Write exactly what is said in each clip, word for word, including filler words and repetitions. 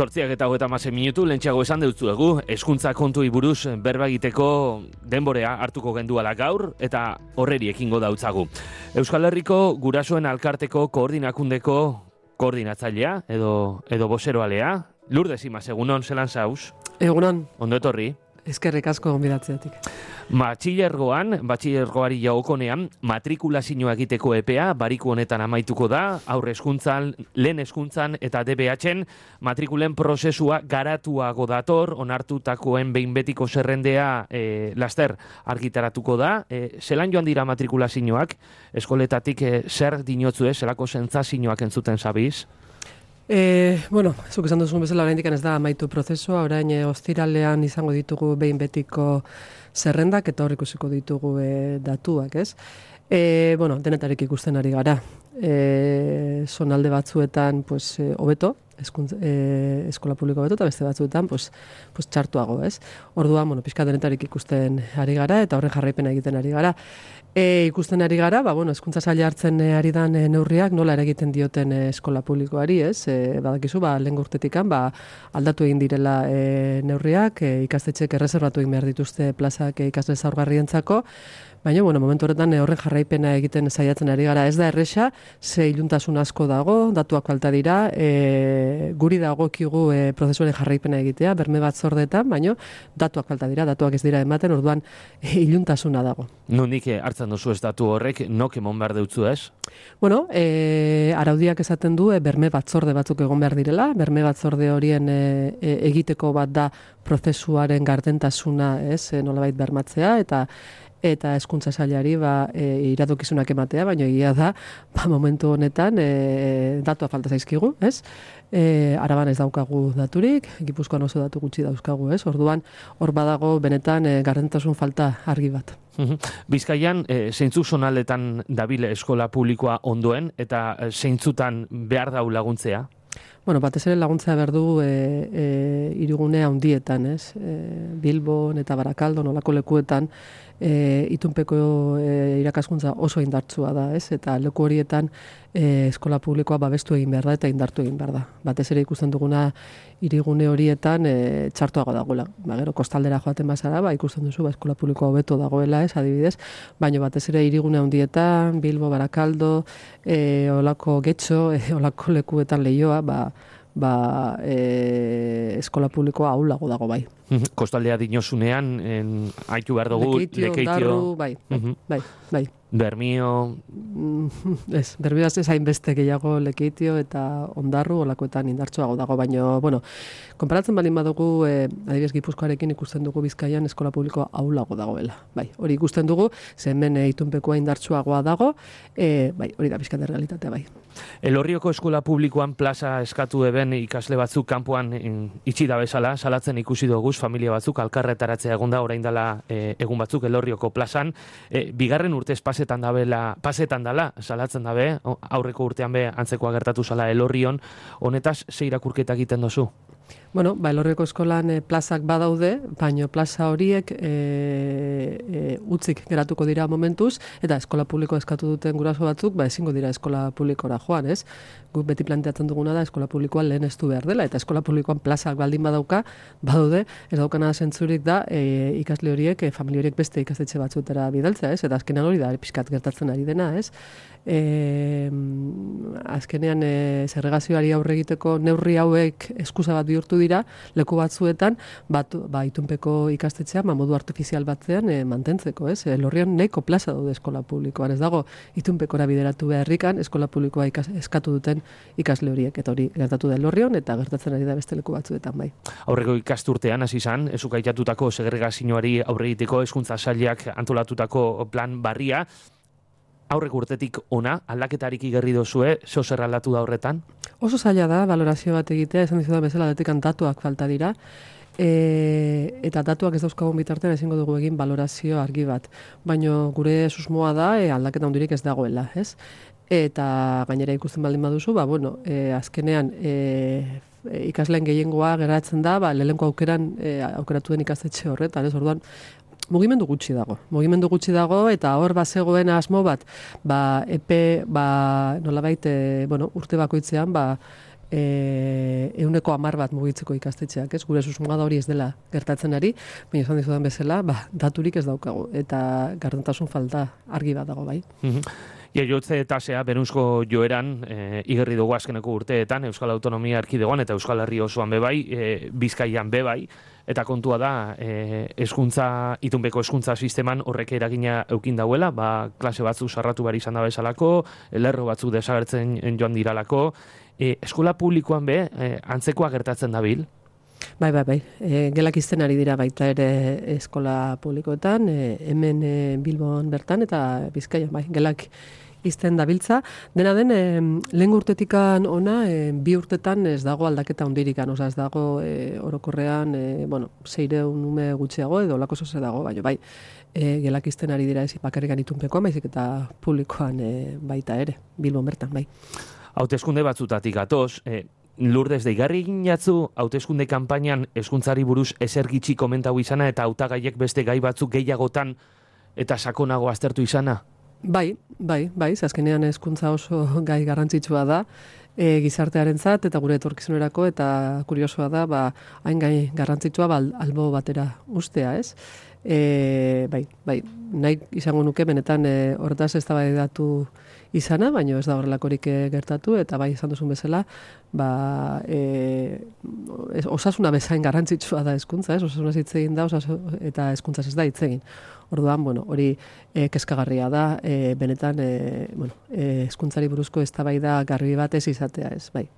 Zortziak eta hogeita hamasei minutu, lentsago esan deutzuegu, hezkuntza kontui buruz berba egiteko denborea hartuko genduala gaur, eta horreri ekingo dautzagu. Euskal Herriko Gurasoen Alkarteko koordinakundeko koordinatzailea, edo, edo boseroalea, Lourdes Imaz, egunon, zelan zauz? Egunon. Ondo etorri? Eskerrik asko gonbidatzeatik. Batxilergoan, batxilergoari jagokonean, matrikulazioa egiteko epea, bariku honetan amaituko da, aurre hezkuntzan, lehen hezkuntzan eta D B H-en matrikulen prozesua garatuago dator, onartutakoen behin betiko zerrendea e, laster argitaratuko da. E, zelan joan dira matrikulazioak, eskoletatik e, zer dinotzu ez, zelako sentsazioak entzuten zabiz? E, bueno, zuk esan duzun bezala oraindik ez da amaitu prozesua, orain e, ostiralean izango ditugu behin betiko zerrendak eta hor ikusiko ditugu e, datuak, ez? E, bueno, denetarik ikusten ari gara. E, zonalde batzuetan, pues, e, hobeto, eskuntz, e, eskola publiko hobeto, eta beste batzuetan, pues, pues, txartuago, ez? Orduan, bueno, pixka denetarik ikusten ari gara, eta horren jarraipena egiten ari gara. E, ikusten ari gara, ba, bueno, hezkuntza saila hartzen e, ari dan e, neurriak nola eragiten dioten e, eskola publikoari, ez? E, badakizu, ba, lehen urtetikan, ba, aldatu egin direla e, neurriak, e, ikastetxek erreserbatu egin behar dituzte plazak e, ikasle zaurgarrientzako, baina, bueno, momentu horretan e, horren jarraipena egiten saiatzen ari gara. Ez da erresa, ze iluntasun asko dago, datuak falta dira, e, guri dagokigu e, prozesuaren jarraipena egitea, berme bat zordetan, baina datuak falta dira, datuak ez dira ematen, orduan e, iluntasuna dago. Nondik hartzen duzu ez datu horrek, nok emon behar deutzu ez? Bueno, e, araudiak esaten du, e, berme batzorde batzuk egon behar direla, berme batzorde horien e, e, egiteko bat da prozesuaren gardentasuna, ez, e, nolabait bermatzea, eta eta hezkuntza sailari ba, e, iradokizunak ematea, baina egia da, ba, momentu honetan e, datua falta zaizkigu, ez? E, Araban ez daukagu daturik, Gipuzkoan oso datu gutxi dauzkagu, ez? Orduan, hor badago benetan e, gardentasun falta argi bat. Bizkaian, e, zeintzu zonaldetan dabile eskola publikoa ondoen, eta e, zeintzutan behar dau laguntzea? Bueno, batez ere laguntza behar du e, e, hirigunea handietan, ez? E, Bilbon eta Barakaldo, nolako lekuetan, e, itunpeko e, irakaskuntza oso indartsua da, ez? Eta leku horietan e, eskola publikoa babestu egin behar da eta indartu egin behar da. Batez ere ikusten duguna hirigune horietan e, txartuago dagoela. Ba, gero kostaldera joaten bazara, ba, ikusten duzu ba, eskola publikoa hobeto dagoela, ez, adibidez, baina batez ere hirigune handietan, Bilbo, Barakaldo, e, olako Getxo, e, olako lekuetan Leioa, ba, ba, e, eskola publikoa ahulago dago bai. Kostaldea dinosunean, en, haitu behar dugu, Lekeitio, lekeitio, Ondarru, bai, bai, bai, bai. Bermio... Ez, Bermio ez hainbeste gehiago Lekeitio eta Ondarru olakoetan indartsuago dago, baina, bueno, konparatzen balin badugu, eh, adibidez Gipuzkoarekin ikusten dugu Bizkaian eskola publikoa ahulago dagoela. Bai, hori ikusten dugu, ze hemen e, itunpekoa indartsuagoa dago, e, bai, hori da bizkat realitatea, bai. Elorrioko eskola publikoan plaza eskatu eben ikasle batzuk kanpoan itxi da bezala, salatzen ikusi dugu familia batzuk alkarretaratzea egon da orain dela e, egun batzuk Elorrioko plazan, e, bigarren urtez pasetan dabela, pasetan dala, salatzen dabe, aurreko urtean be antzekoa gertatu zala Elorrion, honetaz ze irakurketa egiten dozu? Bueno, ba, Elorrioko eskolan e, plazak badaude, baina plaza horiek e, e, utzik geratuko dira momentuz, eta eskola publiko eskatu duten guraso batzuk, ba, ezingo dira eskola publikora joan, ez? Guk beti planteatzen duguna da eskola publikoan lehen estu behar dela, eta eskola publikoan plazak baldin badauka, badaude, ez daukana zentzurik da, e, ikasle horiek, e, familia horiek beste ikastetxe batzuetara bidaltzea, ez? Eta azkenean hori da, pixkat gertatzen ari dena, ez? E, azkenean e, segregazioari aurre egiteko neurri hauek eskusa bat bihurtu dira leku batzuetan bat, ba, itunpeko ikastetxea ba, modu artifizial batzean e, mantentzeko, ez? Elorrion nahiko plaza daude eskola publikoan, ez dago itunpekora bideratu beharrikan eskola publikoa ikas, eskatu duten ikasle horiek, eta hori gertatu da Elorrion eta gertatzen ari da beste leku batzuetan bai. Aurreko ikasturtean hasi izan, ezuk aitatutako segregazioari aurre egiteko hezkuntza sailak antolatutako plan barria, aurreko urtetik ona, aldaketarik igerri dozue, zo zer aldatu da horretan? Oso zaila da, valorazio bat egitea, esan dizu da bezala, detekan datuak falta dira, e, eta datuak ez dauzkagun bitartean ezingo dugu egin valorazio argi bat. Baina gure susmoa da, e, aldaketa hundirik ez dagoela, ez? Eta gainera ikusten baldin baduzu, ba, bueno, e, azkenean, e, ikasleen gehiengoa geratzen da, ba, lehenko aukeran e, aukeratu den ikastetxe horretan, ez? Orduan, mugimendu gutxi dago. Mugimendu gutxi dago eta hor bazegoen asmo bat, ba epe, ba nolabait, e, bueno, urte bakoitzean ba e, euneko hamar bat mugitzeko ikastetxeak, ez? Gure susmoa da hori ez dela gertatzen ari, baina esan dizudan bezala, ba, daturik ez daukagu, eta gardentasun falta argi bat dago, bai. Jaiotze tasea berunzko joeran e, igerri dugu azkeneko urteetan Euskal Autonomia Erkidegoan eta Euskal Herri osoan bebai, e, Bizkaian bebai, eta kontua da e, eskuntza, itunbeko eskuntza sisteman horrek eragina eukin dauela, ba, klase batzu sarratu behar izan da bezalako, lerro batzu desagertzen joan diralako, e, eskola publikoan be, e, antzekoa gertatzen dabil? Bai, bai, bai. E, gelak izten ari dira baita ere eskola publikoetan, e, hemen e, Bilbon bertan eta Bizkaian, bai, gelak izten dabiltza. Dena den, e, lehen urtetikan ona, e, bi urtetan ez dago aldaketa hundirikan, oza, ez dago e, orokorrean, e, bueno, zeireun ume gutxiago edo lako zoze dago, bai, bai. E, gelak izten ari dira ez bakarrikan itunpekoan, baizik eta publikoan e, baita ere, Bilbon bertan, bai. Hauteskunde batzutatik gatoz, e, Lourdes deigarri egin jatzu, hauteskunde kanpainan eskuntzari buruz ezer gitxi komentau izana eta hautagaiek beste gai batzuk gehiagotan eta sakonago aztertu izana? Bai, bai, bai, azkenean hezkuntza oso gai garrantzitsua da, e, gizartearentzat eta gure etorkizunerako, eta kuriosoa da, ba, hain gai garrantzitsua ba, albo batera ustea, ez? E, bai, bai, nahi izango nuke benetan e, horretaz eztabaidatu izana, baina ez da horrelakorik gertatu, eta bai izan duzun bezala, ba, e, osasuna bezain garrantzitsua da hezkuntza, ez? Osasuna hitz egin da, osasun, eta hezkuntza ez da hitz egin. Orduan, bueno, hori e, kezkagarria da, e, benetan, e, bueno, e, hezkuntzari buruzko eztabaida garbi bat ez izatea, ez, bai.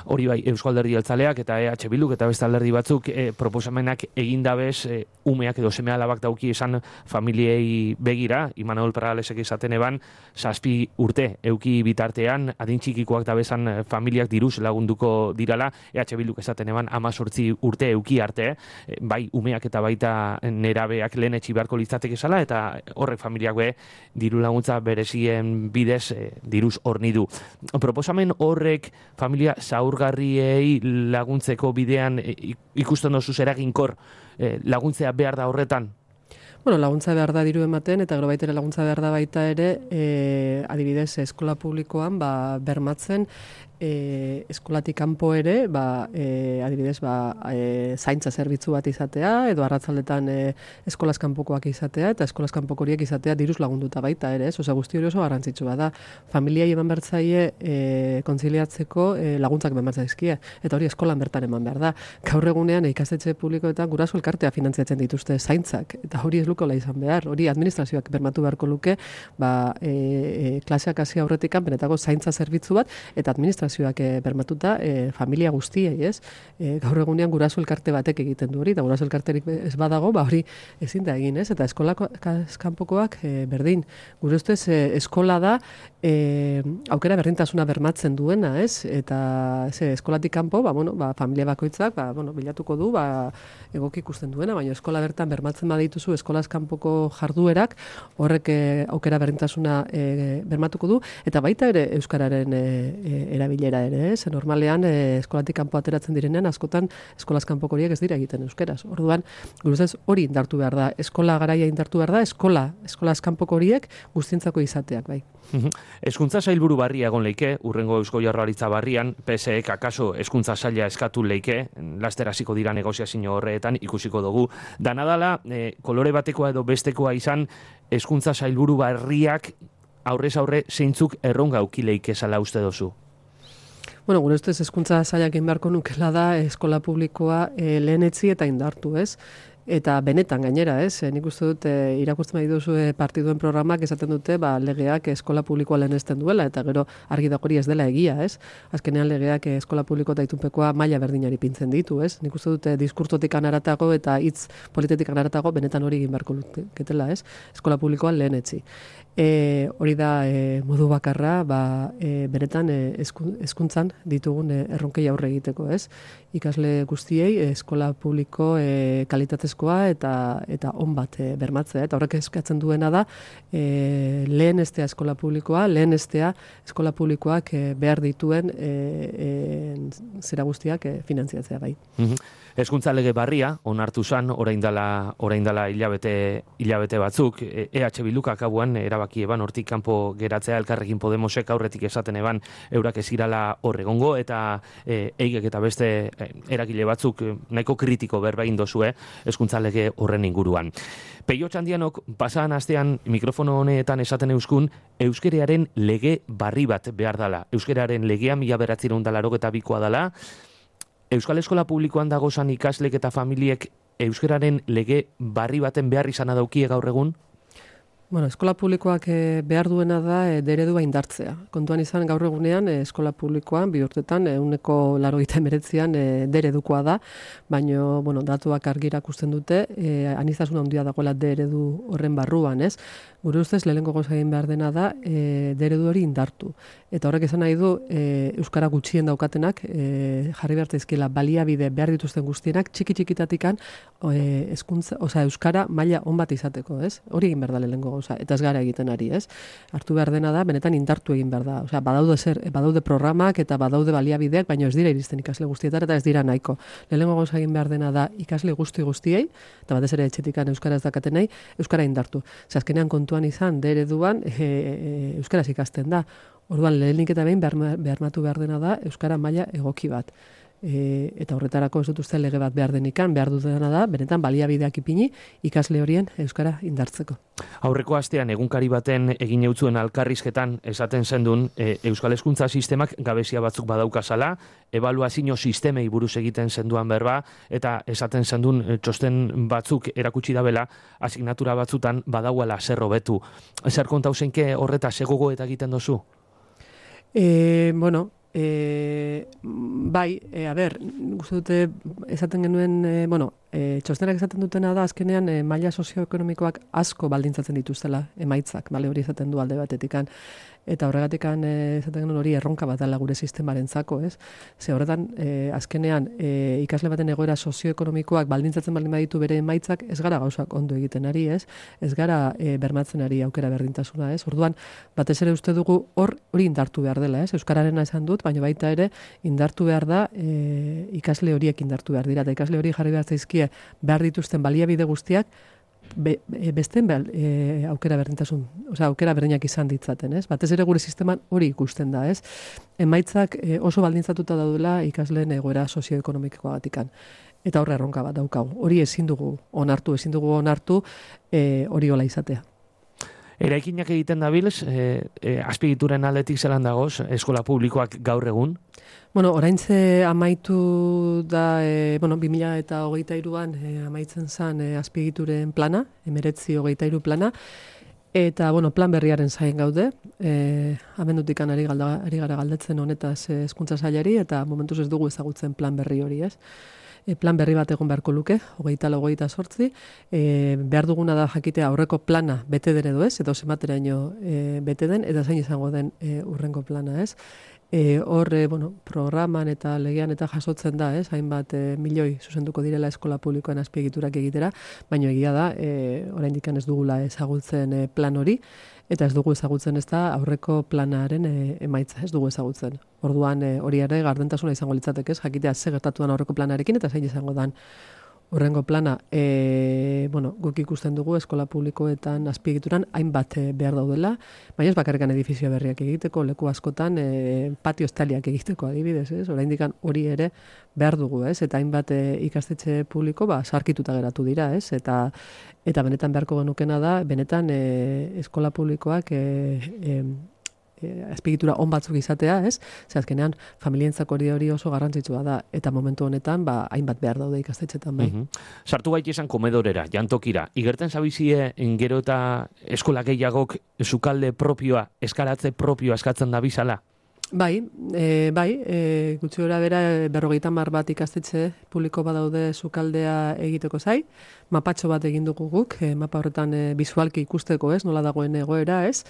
Hori bai, Eusko Alderdi Jeltzaleak eta E H Bilduk eta beste alderdi batzuk e, proposamenak egindabez e, umeak edo seme alabak dauki esan familiei begira, Imanol Peralesek izaten eban, zazpi urte euki bitartean, adintxikikoak da bezan familiak diruz lagunduko dirala, E H Bilduk esaten eban amazortzi urte euki arte, e, bai umeak eta baita nerabeak lehen etxi beharko litzateke zala, eta horrek familiak be diru laguntza berezien bidez e, diruz horni du. Proposamen horrek familia zaurgarriei laguntzeko bidean ikusten dozu eraginkor laguntzea behar da horretan? Bueno, laguntza behar da diru ematen, eta gero baita ere laguntza behar da baita ere, e, adibidez, eskola publikoan ba, bermatzen, e, eskolatik kanpo ere, ba, e, adibidez, ba, e, zaintza zerbitzu bat izatea, edo arratzaldetan e, eskolaz kanpokoak izatea, eta eskolaz kanpoko horiek izatea diruz lagunduta baita ere, ez? Osa, guzti hori oso garrantzitsua da. Familiai eman bertzaie e, kontziliatzeko e, laguntzak eman bertzaizkie, eta hori eskolan bertan eman behar da. Gaur egunean, ikastetxe publikoetan guraso elkartea finantziatzen dituzte zaintzak, eta hori ez lukola izan behar, hori administrazioak bermatu beharko luke, ba, e, e, klaseak hasi aurretikan benetako zaintza zerbitzu bat, eta administrazioak e, bermatuta e, familia guztiei, ez? E, gaur egunean guraso elkarte batek egiten du hori, eta guraso elkarterik ez badago, ba hori ezin da egin, ez? Eta eskolako kanpokoak e, berdin. Gure ustez e, eskola da e, aukera berdintasuna bermatzen duena, ez? Eta ze, eskolatik kanpo, ba, bueno, ba, familia bakoitzak, ba, bueno, bilatuko du, ba, egoki ikusten duena, baina eskola bertan bermatzen badituzu eskola kanpoko jarduerak, horrek e, aukera berdintasuna e, bermatuko du, eta baita ere euskararen e, e, erabilera ere, ez? Normalean e, eskolatik kanpo ateratzen direnean askotan eskolaz kanpoko horiek ez dira egiten euskeraz. Orduan, guruzez hori indartu behar da, eskola garaia indartu behar da, eskola, eskolaz kanpoko horiek guztientzako izateak, bai. Hezkuntza sailburu barria egon leike, urrengo Eusko Jaurlaritza barrian, P S Ek akaso hezkuntza saila eskatu leike, laster hasiko dira negoziazio horretan ikusiko dugu. Danadala, e, kolore batekoa edo bestekoa izan, hezkuntza sailburu barriak aurrez aurre zeintzuk erronga auki leike zala uste dozu? Bueno, gure ustez hezkuntza sailak egin beharko nukela da eskola publikoa e, lehenetzi eta indartu, ez? Eta benetan gainera, ez? Nik uste dut e, irakurtzen bai duzu e, partiduen programak esaten dute, ba, legeak eskola publikoa lehenesten duela, eta gero argi dago hori ez dela egia, ez? Azkenean legeak eskola publiko eta itunpekoa maila berdinari pintzen ditu, ez? Nik uste dute diskurtotik anaratago eta hitz polititik anaratago benetan hori egin beharko luketela, ez? Eskola publikoa lehenetzi. E, hori da e, modu bakarra, ba, e, benetan e, hezkuntzan ditugun e, erronkei aurre egiteko, ez? Ikasle guztiei eskola publiko e, kalitatezko kalitatezkoa eta eta on bat e, bermatzea. Eta horrek eskatzen duena da e, lehenestea eskola publikoa, lehenestea eskola publikoak e, behar dituen e, e, zera guztiak e, finantziatzea bai. Mm-hmm. Hezkuntza lege barria onartu zan orain dela orain dela hilabete hilabete batzuk E H Bilduk akabuan erabaki eban hortik kanpo geratzea Elkarrekin Podemosek aurretik esaten eban eurak ez irala hor egongo eta e, eigek eta beste e, eragile batzuk e, nahiko kritiko berba egin dozue hezkuntza lege horren inguruan. Peio Txandianok pasadan astean mikrofono honetan esaten euskun euskeraren lege barri bat behar dala. Euskeraren legea mila bederatziehun eta laurogeita bikoa dala. Euskal Eskola Publikoan dagozan ikaslek eta familiek euskararen lege barri baten behar izana daukie gaur egun? Bueno, eskola publikoak e, behar duena da e, deredua indartzea. Kontuan izan gaur egunean e, eskola publikoan bi urtetan ehuneko laurogeita hemeretzian e, deredukoa da, baina bueno, datuak argi erakusten dute e, aniztasun handia dagoela deredu horren barruan, ez? Gure ustez lehenengo gauza egin behar dena da e, deredu hori indartu. Eta horrek esan nahi du e, euskara gutxien daukatenak e, jarri behar zaizkiela baliabide behar dituzten guztienak txiki txikitatikan e, eskuntza, osea euskara maila on bat izateko, ez? Hori egin behar da lehenengo gauza, eta ez gara egiten ari, ez? Hartu behar dena da, benetan indartu egin behar da. Osea, badaude zer, badaude programak eta badaude baliabideak, baina ez dira iristen ikasle guztietara eta ez dira nahiko. Lehenengo gauza egin behar dena da ikasle guzti guztiei, eta batez ere etxetikan euskara ez dakatenei, euskara indartu. Ze azkenean kontuan izan, de ereduan e, e, euskaraz ikasten da. Orduan, lehenik eta behin beharmatu behar dena da euskara maila egoki bat. E, eta horretarako ez dut uste lege bat behar denikan, behar dutena da, benetan baliabideak ipini ikasle horien euskara indartzeko. Aurreko astean egunkari baten egin eutzuen alkarrizketan esaten zendun e, Euskal Hezkuntza sistemak gabezia batzuk badaukazala, ebaluazio sistemei buruz egiten zenduan berba, eta esaten zendun e, txosten batzuk erakutsi dabela, asignatura batzutan badauala zer hobetu. Zer kontauzenke horreta segogo eta egiten dozu? E, bueno, E, bai, e, a ber, guzti dute esaten genuen, e, bueno, e, txostenak esaten dutena da, azkenean e, maila sozioekonomikoak asko baldintzatzen dituztela emaitzak, bale, hori esaten du alde batetikan, eta horregatikan e, esaten genuen hori erronka bat dela gure sistemarentzako, ez? Ze horretan, e, azkenean, e, ikasle baten egoera sozioekonomikoak baldintzatzen baldin baditu bere emaitzak, ez gara gauzak ondo egiten ari, ez? Ez gara e, bermatzen ari aukera berdintasuna, ez? Orduan, batez ere uste dugu hor hori indartu behar dela, ez? Euskararena esan dut, baina baita ere indartu behar da e, ikasle horiek indartu behar dira, eta ikasle hori jarri behar zaizkie behar dituzten baliabide guztiak be, besten behar e, aukera berdintasun, osea aukera berdinak izan ditzaten, ez? Batez ere gure sisteman hori ikusten da, ez? Emaitzak e, oso baldintzatuta daudela ikasleen egoera sozioekonomikoagatikan. Eta horre erronka bat daukagu. Hori ezin dugu onartu, ezin dugu onartu e, hori hola izatea. Eraikinak egiten dabilz, e, e, azpiegituren aldetik zelan dagoz, eskola publikoak gaur egun? Bueno, oraintze amaitu da, e, bueno, bi mila hogeita hiruan e, amaitzen zen e, azpiegituren plana, emeretzi hogeita hiru plana, eta, bueno, plan berriaren zain gaude, e, abendutik ari, galda, ari gara galdetzen honetaz e, hezkuntza sailari, eta momentuz ez dugu ezagutzen plan berri hori, ez? E, plan berri bat egon beharko luke, hogeita lau, hogeita sortzi, e, behar duguna da jakitea aurreko plana bete den edo ez, edo zenbateraino e, bete den, eta zain izango den e, urrengo plana, ez? E, hor, e, bueno, programan eta legean eta jasotzen da, ez? Hainbat e, milioi zuzenduko direla eskola publikoan azpiegiturak egitera, baina egia da, e, oraindik ez dugula ezagutzen e, plan hori, eta ez dugu ezagutzen ez da aurreko planaren e, emaitza, ez dugu ezagutzen. Orduan e, hori ere gardentasuna izango litzateke, ez? Jakitea ze gertatu den aurreko planarekin eta zein izango dan horrengo plana. E, bueno, guk ikusten dugu eskola publikoetan azpiegituran hainbat e, behar daudela, baina ez bakarrikan edifizio berriak egiteko, leku askotan e, patio estaliak egiteko adibidez, ez? Oraindikan hori ere behar dugu, ez? Eta hainbat e, ikastetxe publiko ba sarkituta geratu dira, ez? Eta eta benetan beharko genukena da, benetan e, eskola publikoak e, e, azpiegitura on batzuk izatea, ez? Ze azkenean familientzako hori hori oso garrantzitsua da eta momentu honetan ba hainbat behar daude ikastetxetan bai. Mm-hmm. Sartu gaite izan komedorera, jantokira. Igerten zabizie gero eta eskola gehiagok sukalde propioa, eskaratze propioa eskatzen da bizala? Bai, e, bai, e, gutxi gora bera berrogeita hamar bat ikastetxe publiko badaude sukaldea egiteko zai, mapatxo bat egin dugu guk, e, mapa horretan e, bizualki ikusteko, ez, nola dagoen egoera, ez,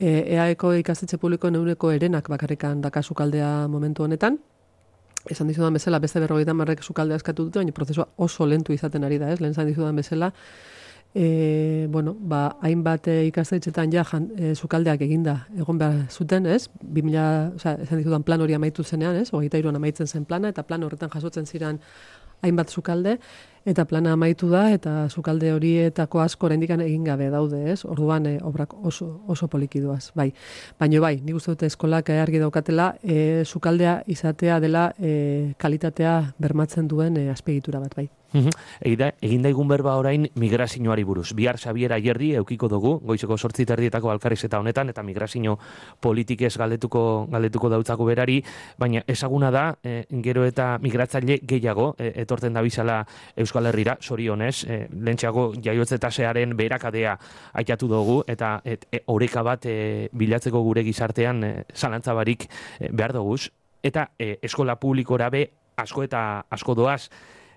e, E A Eko ikastetxe publiko neuneko erenak bakarrikan daka sukaldea momentu honetan, esan dizudan bezala, beste berrogeita marrek sukaldea eskatu dute, baina prozesua oso lentu izaten ari da, ez? Lehen esan dizudan bezala, e, bueno, ba, hainbat e, ikastetxetan ja jan, e, sukaldeak eginda egon behar zuten, ez? bi mila, o sea, esan dizudan plan hori amaitu zenean, ez? hogeita hiruan amaitzen zen plana, eta plan horretan jasotzen ziren hainbat sukalde, eta plana amaitu da, eta sukalde horietako asko oraindik egin gabe daude, ez? Orduan e, obrak oso, oso polikiduaz, bai. Baina bai, nik uste dute eskolak argi daukatela, e, sukaldea izatea dela e, kalitatea bermatzen duen e, azpiegitura bat, bai. Egida, egin daigun berba orain migrazioari buruz. Bihar Xabier Ayerdi eukiko dugu, goizeko zortzi terdietako alkarrizketa honetan, eta migrazio politikez galdetuko, galdetuko dautzako berari, baina ezaguna da, e, gero eta migratzaile gehiago, e, etorten da bizala Euskal Herrira, sorionez, e, lehentxeago jaiotze tasearen beherakadea aitatu dugu, eta et, e, oreka bat e, bilatzeko gure gizartean e, zalantzabarik e, behar duguz, eta e, eskola publikora be asko eta asko doaz,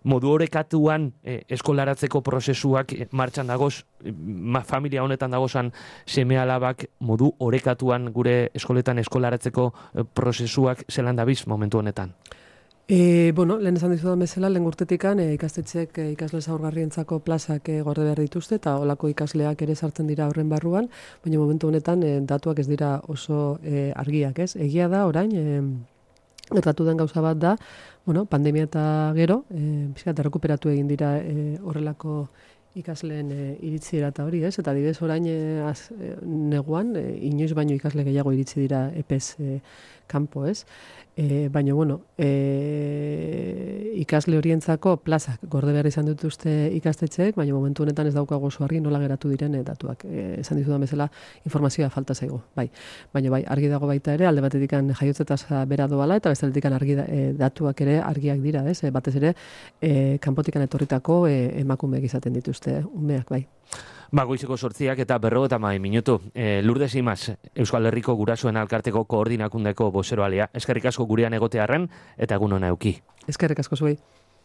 modu orekatuan eh, eskolaratzeko prozesuak eh, martxan dagoz, ma, familia honetan dagozan seme alabak modu orekatuan gure eskoletan eskolaratzeko eh, prozesuak zelan dabiz momentu honetan? E, bueno, lehen esan dizudan bezala, lehen urtetikan e, ikastetxek e, ikasle zaurgarrientzako plazak e, gorde behar dituzte, eta olako ikasleak ere sartzen dira horren barruan, baina momentu honetan e, datuak ez dira oso e, argiak, ez? Egia da, orain, e, gertatu den gauza bat da, bueno, pandemia eta gero, e, pixkat errekuperatu egin dira e, horrelako ikasleen e, iritzira eta hori, ez? Eta adibidez orain e, az, e, neguan, e, inoiz baino ikasle gehiago iritsi dira epez e, kanpo, ez? E, baina, bueno, e, ikasle horientzako plazak gorde behar izan dituzte ikastetxeek, baina momentu honetan ez daukago oso argi nola geratu diren e, datuak. E, esan dizudan bezala, informazioa falta zaigu, bai. Baina bai, argi dago baita ere, alde batetik jaiotze tasa bera doala, eta bestetik argi da, e, datuak ere argiak dira, ez? E, batez ere, e, kanpotikan etorritako e, emakumeak izaten dituzte, umeak, bai. Ba, goizeko sortziak eta berro eta mai minutu. E, Lourdes Imaz, Euskal Herriko Gurasoen Alkarteko koordinakundeko bozeroalea. Eskerrik asko gurean egotearren eta egun hona euki. Eskerrik asko zuei.